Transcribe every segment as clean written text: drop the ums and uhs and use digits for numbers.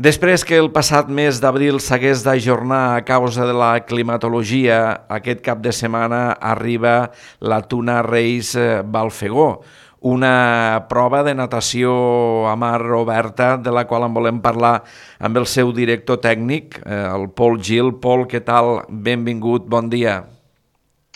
Després que el passat mes d'abril s'hagués d'ajornar a causa de la climatologia, aquest cap de setmana arriba la Tuna Race Balfegó, una prova de natació a mar oberta de la qual en volem parlar amb el seu director tècnic, el Pol Gil. Pol, què tal? Benvingut, bon dia.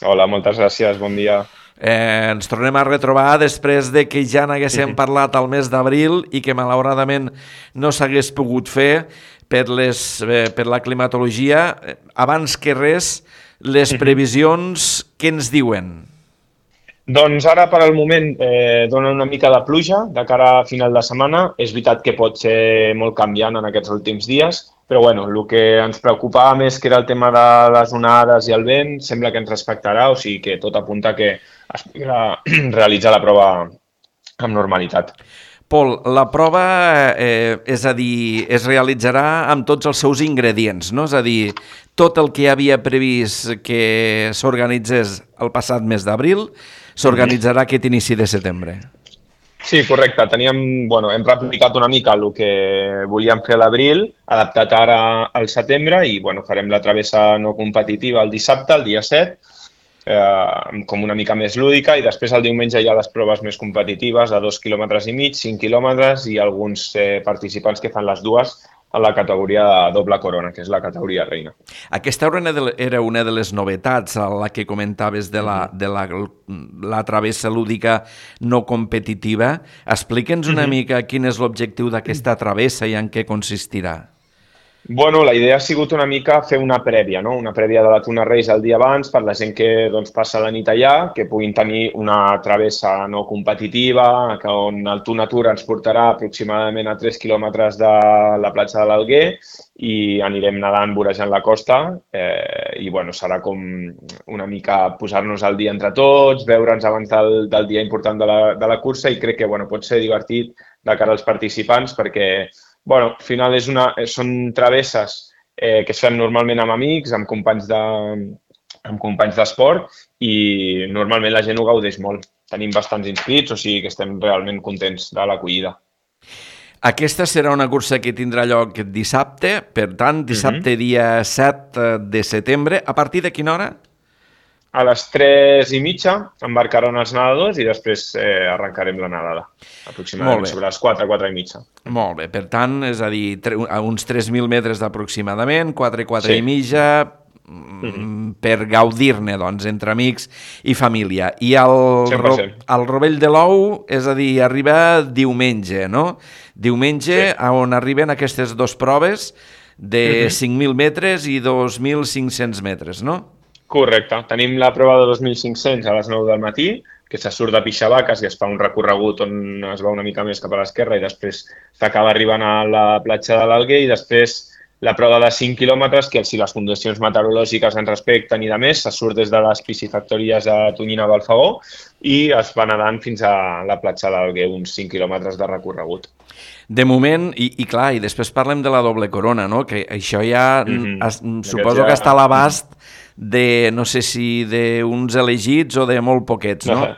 Hola, moltes gràcies, bon dia. Ens tornem a retrobar després de que ja n'haguéssim parlat al mes d'abril i que malauradament no s'hagués pogut fer per la climatologia. Abans que res, les previsions, què ens diuen? Doncs ara, per al moment, dona una mica de pluja de cara a final de setmana. És veritat que pot ser molt canviant en aquests últims dies, però bueno, el que ens preocupava més, que era el tema de les onades i el vent, sembla que ens respectarà, o sigui que tot apunta que es podrà realitzar la prova amb normalitat. Pol, la prova, és a dir, es realitzarà amb tots els seus ingredients, no? És a dir, tot el que havia previst que s'organitzés el passat mes d'abril s'organitzarà aquest inici de setembre. Sí, correcte. Hem replicat una mica el que volíem fer a l'abril, adaptat ara al setembre, i farem la travessa no competitiva el dissabte, el dia 7, com una mica més lúdica, i després el diumenge hi ha les proves més competitives de 2,5 quilòmetres, 5 quilòmetres, i alguns participants que fan les dues a la categoria de doble corona, que és la categoria reina. Aquesta era una de les novetats a la que comentaves de la travessa lúdica no competitiva. Explica'ns una mica quin és l'objectiu d'aquesta travessa i en què consistirà. La idea ha sigut una mica fer una prèvia, no? Una prèvia de la Tuna Race el dia abans per la gent que passa la nit allà, que puguin tenir una travessa no competitiva, on el Tuna Tour ens portarà aproximadament a 3 quilòmetres de la platja de l'Alguer i anirem nedant vorejant la costa i serà com una mica posar-nos al dia entre tots, veure'ns abans del dia important de la cursa, i crec que pot ser divertit de cara als participants perquè al final són travesses que es fan normalment amb amics, amb companys d'esport, i normalment la gent ho gaudeix molt. Tenim bastants inscrits, o sigui que estem realment contents de l'acollida. Aquesta serà una cursa que tindrà lloc dissabte, per tant, dissabte dia 7 de setembre. A partir de quina hora? A les 3:30 embarcaran els nedadors i després arrencarem la nedada, aproximadament sobre les 4:30. Molt bé, per tant, és a dir, a uns 3.000 metres aproximadament, 4:30, per gaudir-ne, doncs, entre amics i família. I el Rovell de l'Ou, és a dir, arriba diumenge, no? Diumenge, on arriben aquestes dues proves de 5.000 metres i 2.500 metres, no? Correcte. Tenim la prova de 2.500 a les 9 del matí, que se surt de Pixavaques i es fa un recorregut on es va una mica més cap a l'esquerra i després s'acaba arribant a la platja de l'Alguer, i després la prova de 5 quilòmetres, que si les condicions meteorològiques ens respecten i de més, se surt des de les piscifactories de Tonyina a Balfegó i es va nedant fins a la platja de l'Alguer, uns 5 quilòmetres de recorregut. De moment, i clar, i després parlem de la doble corona, no? Que això ja suposo que està a l'abast de, no sé si d'uns elegits o de molt poquets, no?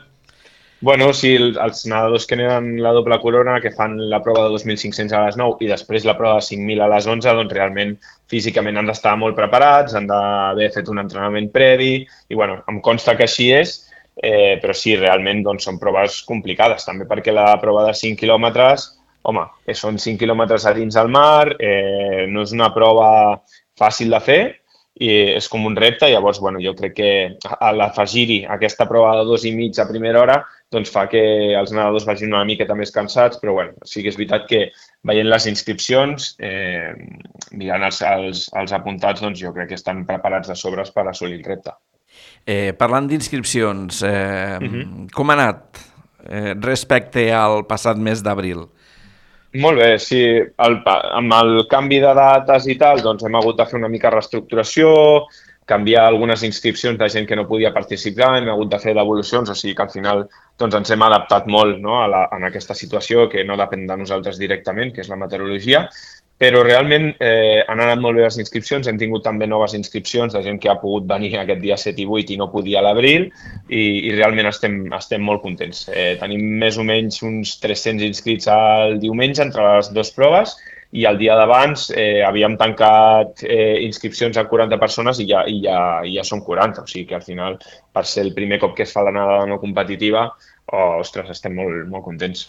Sí, els nedadors que neden la doble corona, que fan la prova de 2.500 a les 9 i després la prova de 5.000 a les 11, doncs realment físicament han d'estar molt preparats, han d'haver fet un entrenament previ, i em consta que així és, però sí, realment són proves complicades, també perquè la prova de 5 quilòmetres, són 5 quilòmetres a dins del mar, no és una prova fàcil de fer, i és com un repte. Llavors, jo crec que a l'afegir-hi aquesta prova de 2,5 a primera hora fa que els nedadors vagin una miqueta més cansats, però sí que és veritat que veient les inscripcions, mirant els apuntats, jo crec que estan preparats de sobres per assolir el repte. Parlant d'inscripcions, com ha anat respecte al passat mes d'abril? Molt bé, sí. Amb el canvi de dates i tal, hem hagut de fer una mica reestructuració, canviar algunes inscripcions de gent que no podia participar, hem hagut de fer devolucions, o sigui que al final ens hem adaptat molt, no, en aquesta situació que no depèn de nosaltres directament, que és la meteorologia, però realment han anat molt bé les inscripcions, hem tingut també noves inscripcions de gent que ha pogut venir aquest dia 7 i 8 i no podia a l'abril, i realment estem molt contents. Tenim més o menys uns 300 inscrits al diumenge entre les dues proves, i el dia d'abans havíem tancat inscripcions a 40 persones i ja són 40, o sigui que al final, per ser el primer cop que es fa la nedada no competitiva, ostres, estem molt, molt contents.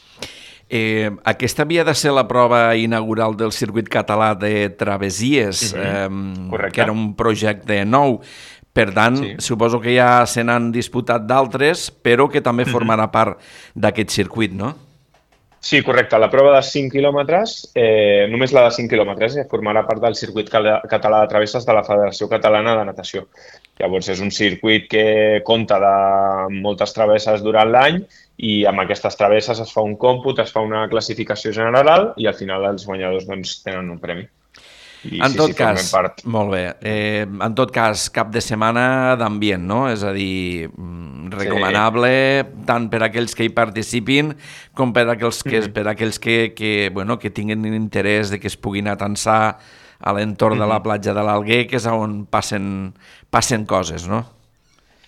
Aquesta havia de ser la prova inaugural del circuit català de travessies, que era un projecte nou. Per tant, suposo que ja se n'han disputat d'altres, però que també formarà part d'aquest circuit, no? Sí, correcte. La prova de 5 quilòmetres, només la de 5 quilòmetres, formarà part del circuit català de travesses de la Federació Catalana de Natació. Llavors, és un circuit que compta de moltes travesses durant l'any i amb aquestes travesses es fa un còmput, es fa una classificació general i al final els guanyadors doncs, tenen un premi. En tot cas, molt bé, en tot cas, cap de setmana d'ambient, no? És a dir, recomanable tant per a aquells que hi participin com per a aquells que tinguin interès de que es puguin atansar a l'entorn de la platja de l'Alguer, que és on passen coses, no?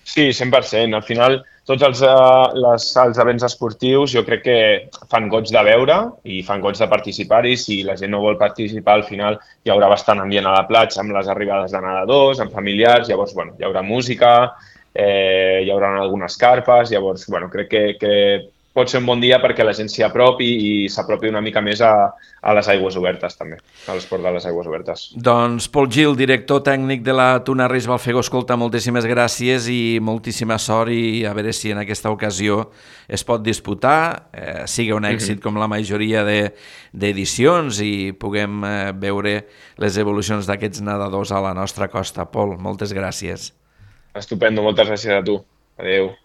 Sí, 100%. Al final, tots els events esportius jo crec que fan goig de veure i fan goig de participar-hi. Si la gent no vol participar, al final hi haurà bastant ambient a la platja amb les arribades de nedadors, amb familiars, llavors hi haurà música, hi haurà algunes carpes, llavors crec que pot ser un bon dia perquè la gent s'hi apropi i s'apropi una mica més a les aigües obertes també, a l'esport de les aigües obertes. Doncs Pol Gil, director tècnic de la Tuna Reis Balfegó, escolta, moltíssimes gràcies i moltíssima sort i a veure si en aquesta ocasió es pot disputar, sigui un èxit com la majoria d'edicions i puguem veure les evolucions d'aquests nedadors a la nostra costa. Pol, moltes gràcies. Estupendo, moltes gràcies a tu. Adéu.